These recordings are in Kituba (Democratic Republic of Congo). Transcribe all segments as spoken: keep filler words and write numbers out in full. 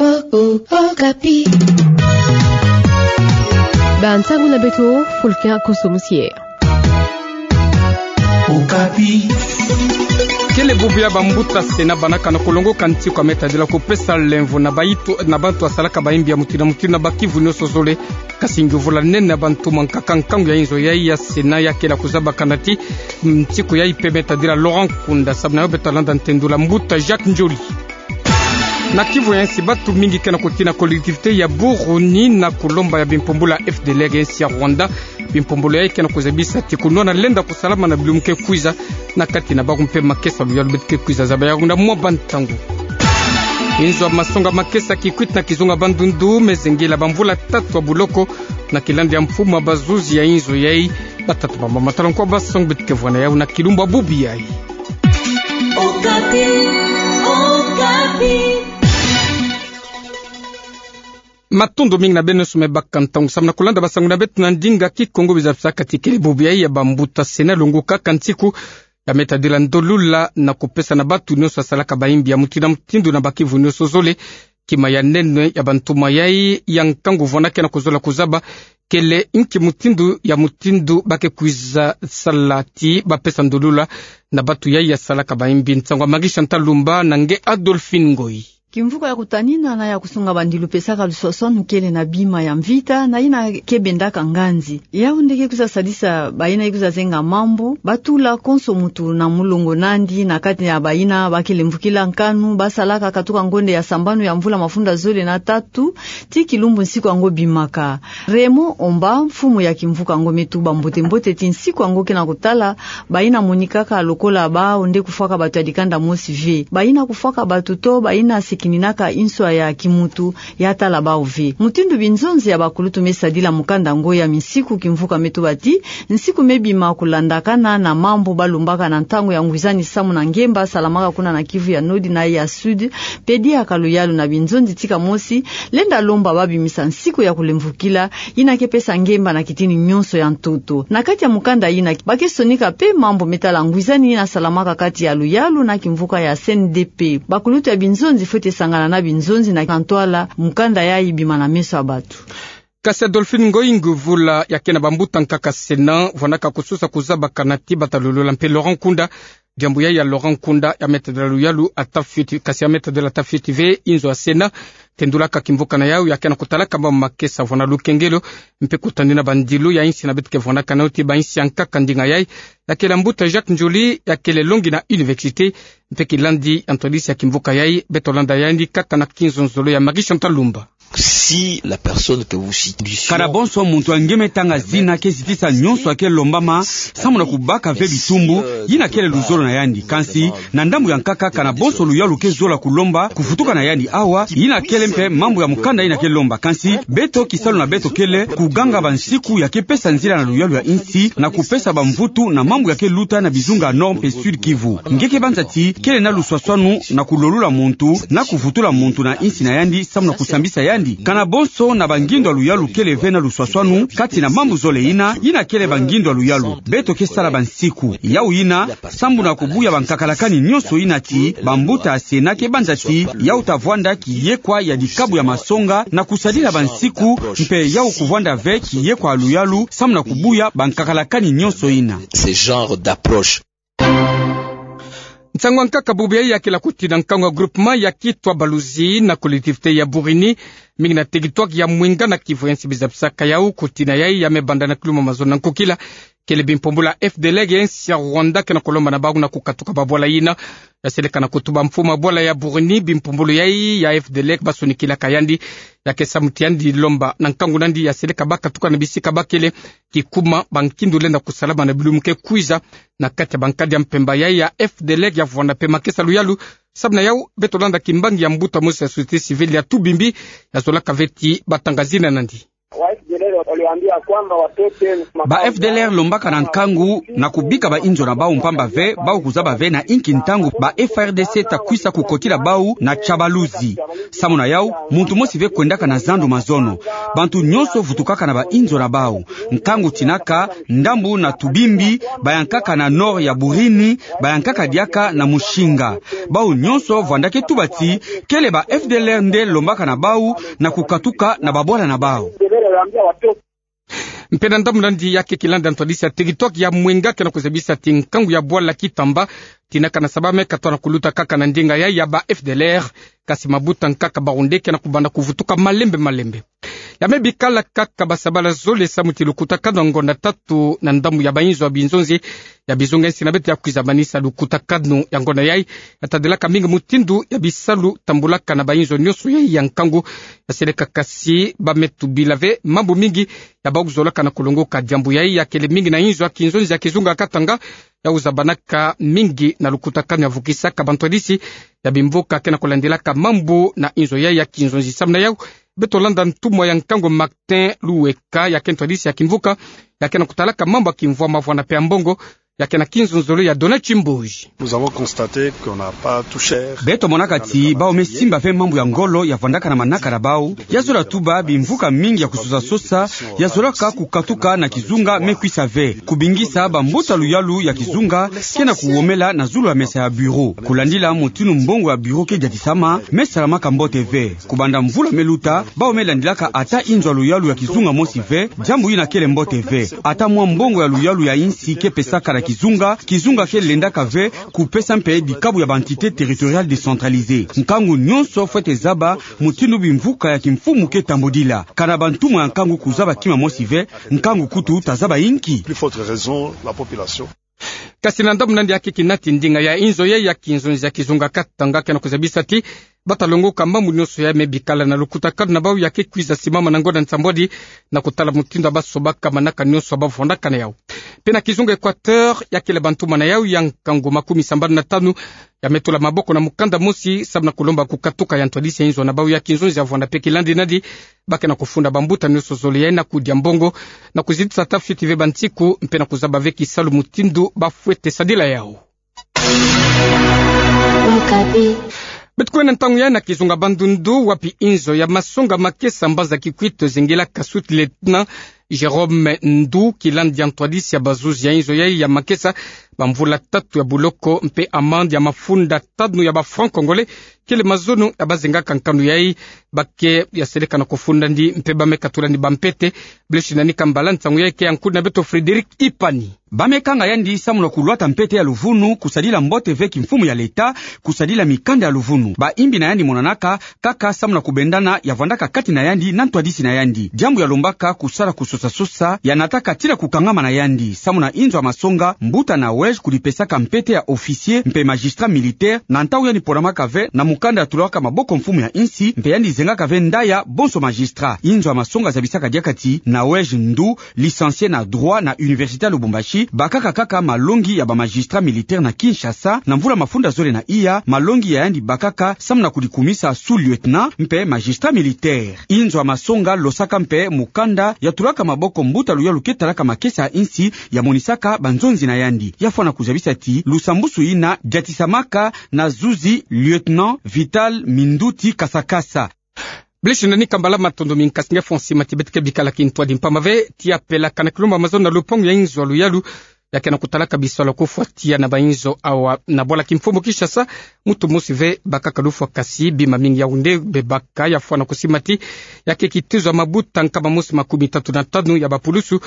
Okapi. Bansango na beto, Fulkin Koso Musie. Okapi. Kele bubu ya bambuta Sénat bana kana kolongoka nsiku ya me tadila kupesa lemvo na bayitu, na bantu asalaka bayimbi ya mutindu na mutindu na bakivu nionso zole. Kasi ngiovula nene ya bantu mwa nkaka nkangu ya inzo yayi ya Sénat ya kele kuzaba kana ti nsiku yayi pe me tadila Laurent Nkunda. Samu na yo beto landa ntendula mbuta Jacques Ndjoli. Na kivu ya insi, batu mingi ke na kutina collectivité ya Buruni na kulomba ya bimpumbulu ya F D L R ya insi ya Rwanda. Bimpumbulu yayi ke na kuzabisa ti kunwana lenda kusalama na bilumbu ke kwiza na kati na bawu mpe makesa luyalu beto ke kwiza zaba yawu na mwa bantangu. Inzo ya masonga makesa Kikwit na kizunga Bandundu me zengela bamvula tatu ya buloko na kilandi ya mfumu ya bazuzi ya inzo yayi. Batata, bamama, tala nkwa basongo beto ke vwanda yawu na kilumbu ya bubu yayi. Okapi, Okapi. Matondo mingi na beno nionso me baka ntangu samu na kulanda basango na beto na ndinga Kikongo. Biza bisaka ti kele bubu yayi ya bambuta Sénat longokaka nsiku ya me tadila ndolula na kupesa na batu nionso asalaka bayimbi ya mutindu na mutindu na bakivu nionso zole. Kima ya nene ya bantumwa yayi ya nkangu vwanda ke na kuzola kuzaba kele nki mutindu ya mutindu ba ke kwiza sala ti bapesa ndolula na batu yayi asalaka bayimbi. Nsangu ya Marie Chantal Lumba na nge Adolphine Ngoyi. Kimvuka ya kutanina na ya kusunga bandilu pesaka luswaswanu kele na bima ya mvita na yina ke bendaka nganzi. Yawu nde ke kwiza sadisa bayina ke kwiza zenga mambu, batula konso muntu na mulongo nandi na kati ya bayina ba ke lemvokila nkanu, basalaka katuka ngonde ya sambanu ya mvula mafunda zole na tatu, ti kilumbu nsiku yango bimaka. Raymond Omba, mfumu ya kimvuka yango, me tuba mbote mbote ti nsiku yango ke na kutala bayina monikaka lokola bawu nde kufwaka batu ya dikanda mosi ve. Bayina kufwaka batu to bayina sikininaka inswa ya kimuntu ya tala bawu ve. Mutindu binzonzi ya bakulutu me sadila mukanda yango ya minsiku, kimvuka me tuba ti nsiku me bima kulandakana na mambu balombaka na ntangu ya ngwizani samu na ngemba salamaka kuna na Kivu ya Nord na ya Sud, mpe diaka luyalu na binzonzi ti kamosi, lenda lomba babimisa nsiku ya kulemvokila, yina ke pesa ngemba na kitini nionso ya ntoto. Na kati ya mukanda yina, ba ke sonika mpe mambu me tala ngwizani yina salamaka kati ya luyalu na kimvuka ya C N D P. Bakulutu ya binzonzi fwete sangana na binzonzi na ntwala mukanda yayi bima na meso ya batu. Kasi Adolphine Ngoyi, ngiovula ya ke na bambuta nkaka Sénat vwandaka kusosa kuzaba kana ti bata lolola mpe Laurent Nkunda diambu yayi ya Laurent Nkunda ya me tadila luyalu ata fioti, kasi ya me tadila ata fioti ve. Inzo ya Sénat tendulaka kimvuka na yawu ya ke na kutalaka mambu makesa vwanda lukengelo mpe kutanina bandilu ya insi na beto ke vwandaka na yo ti bainsi ya nkaka. Ndinga yayi ya kele mbuta Jacques Ndjoli, ya kele longi na université, mpe kilandi ya ntwadisi ya kimvuka yayi. Beto landa yandi kaka na kinzonzolo ya Marie Chantal Lumba. Si la personne que vous citez. Kana bonso muntu ya nge me tanga zina ke zitisa nionso ya ke lombama samu na kubaka ve bitumbu, yina kele luzolo na yandi. Kansi na ndambu ya nkaka, kana bonso luyalu ke zola kulomba kuvutuka na yandi awa, yina kele mpe mambu ya mukanda yina ke lomba. Kansi beto, kisalu na beto kele kuganga bansiku ya ke pesa nzila na luyalu ya insi na kupesa bamvutu na mambu ya ke luta na bizunga Nord mpe Sud Kivu. Nge ke banza ti kele na luswaswanu na kulolula muntu na kuvutula muntu na insi na yandi samu na kusambisa yandi. Kana bonso na bangindu ya luyalu kele ve na luswaswanu kati na mambu zole yina, yina kele bangindu ya luyalu. Beto ke sala bansiku. Yawu yina, sambu na kubuya bankakalakani nionso yina ti bambuta ya Sénat ke banza ti yawu ta vwanda kiyekwa ya dikabu ya masonga na kusadila bansiku, mpe yawu kuvwanda ve kiyekwa ya luyalu samu na kubuya bankakalakani nionso yina. Ce genre d'approche. Nsangu ya nkaka bubu yayi ya kele kutina nkangu ya groupement ya Kitwa Baluzi na collectivité ya Burini, mingi na territoire ya Mwinga na Kivu ya nsi. Biza bisaka yawu, kutina yayi ya me banda na kilumbu mazono na nkokila. Kele bimpumbulu ya F D L R ya insi ya Rwanda ke na kulomba na bawu na kukatuka babwala yina ya seleka na kutuba mfumu ya bwala ya Burini. Bimpumbulu yayi ya F D L R basonikilaka yandi, ya ke samu ti yandi lomba na nkangu nandi ya seleka bakatuka na bisika bakele, kikuma bankindu lenda kusalama na bilumbu ke kwiza na kati ya bankadi ya mpemba. Yayi ya F D L R ya vwanda mpe makesa luyalu. Samu na yawu, beto landa kimbangi ya mbuta mosi ya société civile ya Tubimbi, ya zolaka ve ti batanga zina nandi. Ba F D L R lombaka na nkangu na kubika bainzo na bau mpamba ve bau kuzaba ve na inki ntangu ba F A R D C ta kwisa kukotila bau na Tiabalozi. Samu na yau, muntu mosi ve kwendaka na zandu mazono. Bantu nyonso vutukaka na bainzo na bau. Nkangu tinaka, ndambu na tubimbi bayankaka na nord ya Burini, bayankaka diaka na Musinga. Bau nyonso vwandaka tuba ti kele ba F D L R nde lombaka na bau na kukatuka na babwala na bau. Mpe na ndambu nandi ya ke kilanda ntwadisi ya TikTok ya mwenga ke na kuzabisa ti nkangu ya bwala Kitamba, tinaka na saba me katwa na kuluta kaka na ndinga yai ya ba F D L R, kasi mabuta nkaka bau nde ke na kubanda kuvutuka malembe malembe. Ya me bikala kaka ba sabala zole samu ti lukutakanu ya ngonda tatu na ndambu ya bainzo ya binzonzi ya bizunga nsi na beto ya kwiza manisa lukutakanu ya ngonda yai, ya tadilaka mingi mutindu ya bisalu tambulaka na bainzo nyonso yai ya nkangu, ya seleka kasi ba me tubila ve mambu mingi ya bau kuzolaka na kulongoka diambu yai ya kele mingi na inzo ya kinzonzi ya kizunga Katanga, ya uzabanaka mingi na lukutakanu ya vukisaka bantwadisi ya bimvuka ke na kulandilaka mambu na inzo yai ya kinzonzi. Samu na yau, beto landa ntumwa ya nkangu Martin Luweka, ya ke ntwadisi ya kimvuka, ya ke na kutalaka mambu ya kimvwama vwana pe ya mbongo, ya ke na kinzonzolo ya Donat Chimbuji. Nous avons constaté qu'on n'a pas touché. Beto monaka ti bau me simba ve mambu ya ngolo ya vwandaka na manaka na bau, ya zola tuba bimvuka mingi ya kusosa sosa, ya zolaka kukatuka na kizunga me kwisa ve. Kubingisa bambuta luyalu ya kizunga ke na kuwomela na zulu ya mesa ya bureau. Kulandila mutinu mbongo ya bureau ke diatisama, me salamaka mbote ve. Kubanda mvula me luta, bau me landilaka ata inzo ya luyalu ya kizunga mosi ve, diambu yina kele mbote ve. Ata mwa mbongo ya luyalu ya insi ke pesaka na kizunga, kizunga ke lendaka ve kupesa mpe bikabu ya ba entités territoriales décentralisées. Nkangu nyonso fwete zaba mutindu bimvuka ya kimfumu ke tambudila. Kana bantumwa ya nkangu kuzaba kima mosi ve, nkangu kutu ta zaba inki? Plus forte raison, la population. Kasi na ndambu nandi ya ke kinati ndinga ya inzo yai ya kinzonzi ya kizunga Katanga ke na kuzabisa ti bata longoka mambu nyonso ya me bikala na lukutakanu na bau ya ke kwiza simama na ngonda nsambwadi, na kutala mutindu ya ba sobaka manaka nyonso ya ba vwandaka na yau. Mpe na kizunga Équateur, ya kele bantumwa na yau ya nkangu makumi sambanu na tanu ya me tula maboko na mukanda mosi samu na kulomba kukatuka ya ntwadisi ya inzo na bau ya kinzonzi ya vwanda mpe kilandi nandi, ba ke na kufunda bambuta nyonso zole yai na kudia mbongo, na kuzitisa ata fioti ve bansiku, mpe na kuzaba ve kisalu mutindu ba fwete sadila yau. Beto kwenda ntangu yai na kizunga Bandundu, wapi inzo ya masonga makesa mbanza Kikwit zingilaka sous-lieutenant Jérôme Ndu, kilandi ya ntwadisi ya bazuzi ya inzo yai ya makesa bamvula tatu ya buloko mpe amende ya mafunda tanu ya ba francs congolais, kele mazono ya ba zingaka nkanu yai. Ba ke ya seleka na kufunda ndi mpe ba me katula ndi bampete. Blaise Nani Kambala, nsangu yai ke ya nkundi na beto Frédéric Ipani. Ba me kanga yandi samu na kulwata mpete ya luvunu, kusadila mbote ve kimfumu ya leta, kusadila mikanda ya luvunu. Ba imbi na yandi monanaka kaka samu na kubendana ya vwandaka kati na yandi na ntwadisi na yandi. Diambu ya lombaka kusala kusosa sosa ya nataka tii na kukangama na yandi. Samu na inzo ya masonga, mbuta Nawège kudipesaka mpete ya officier mpe magistrat militaire na ntau yandi ponamaka ve na mukanda ya tulaka maboko mfumu ya insi, mpe yandi zengaka ve ndaya bonso magistrat. Inzo ya masonga zabisaka diaka ti Nawège Ndu, licencié na droit na université ya Lubumbashi, bakaka kaka malongi ya ba magistrat militaire na Kinshasa, na mvula mafunda zole na iya, malongi ya yandi bakaka samu na kudikumisa sous-lieutenant mpe magistrat militaire. Inzo ya masonga losaka mpe mukanda ya tulaka maboko mbuta luyalu ke talaka makesa ya insi, ya monisaka banzonzi na yandi. Ya fwana kuzabisa ti lusambusu yina diatisamaka na zuzi lieutenant Vital Minduti Kasakasa. Blaise Nani Kambala, matondo mingi, kasi nge fwa sima ti beto ke bikala kintwadi mpamba ve ti ya pelakana kilumba mazono na lupangu ya inzo ya luyalu ya ke na kutalaka bisalu ya kufwa tiya na bainzo awa na bwala kimfumu Kinshasa. Muntu mosi ve bakaka lufwa, kasi bima mingi ya wunde bebaka. Ya fwana kusima ti ya ke kitezo ya mabuta nkama mosi makumi tatu na tanu ya bapulusu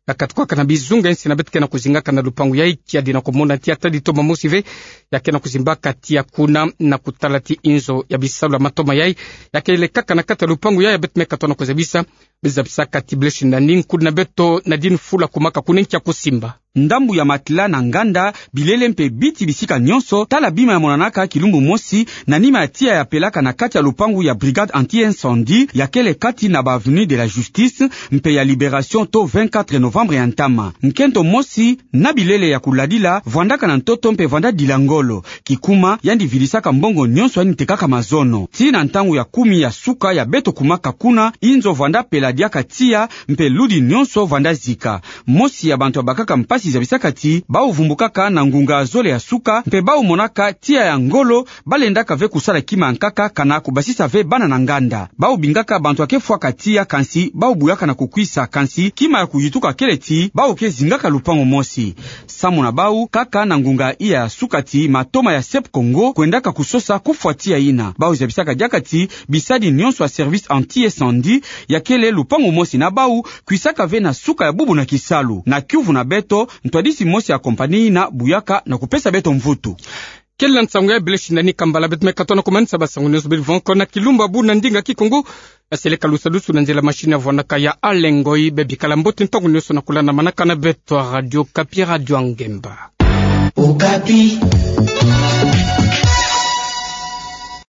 ya katukaka na bizunga ya insi na beto ke na kuzingaka na lupangu yai, kiadi na kumona ti ata ditoma mosi ve ya ke na kuzimbaka tiya kuna, na kutala ti inzo ya bisalu ya matoma yai ya ke lekaka na kati ya lupangu yai, ya beto me katwa na kuzabisa, bizabisaka ti Blaise Nani, nkundi na beto Nadine Fula Kumaka kuna nki ya kusimba. Ndambu ya matela na nganda, bilele mpe biti bisika nyonso, tala bima ya monanaka kilumbu mosi, na nima ya tiya ya pelaka na kati ya lupangu ya Brigade Anti-Incendie, ya kele kati na ba Avenue de la Justice, mpe ya Libération to vingt-quatre novembre. novembre ya ntama. Nkento mosi na bilele ya kuladila vwandaka na ntoto mpe vwanda dila ngolo. Kikuma, yandi vidisaka mbongo nyonso yandi tekaka mazono. Tii na ntangu ya kumi ya suka ya beto kumaka kuna, inzo vwanda pela diaka tiya, mpe ludi nyonso vwanda zika. Mosi ya bantu ya bakaka mpasi zabisaka ti, bau vumbukaka na ngunga zole ya suka, mpe bau monaka tiya ya ngolo, balendaka ve kusala kima ya nkaka kana kubasisa ve bana na nganda. Bau bingaka bantu ya kefwaka tiya kansi, bau buyaka na kukwisa kansi, kima ya kuyituka kele ti, bau kezingaka lupangu mosi. Samu na bau, kaka na ngunga iya ya suka ti matoma ya Sep Congo kwendaka kusosa kufwa tiya ina. Bau zabisaka diaka ti, bisadi nyonso ya service anti-incendie ya kele lupangu mosi na bau, kwisaka ve na suka ya bubu na kisalu. Na kiuvu na beto, ntwadisi mosi ya compagnie ina buyaka na kupesa beto mvutu. Kele nsangu ya bele shinda ni kambala, beto me katoa na kumanisa basangu nyonso beri vwanga ko na kilumbu abu na ndinga Kikongo. Baseleka lusadusu na nzila machine ya vwanaka ya Alengoi, bebikala mbote ntangu nyonso na kulanda manaka na beto ya Radio Okapi, Radio ya Ngemba. Okapi.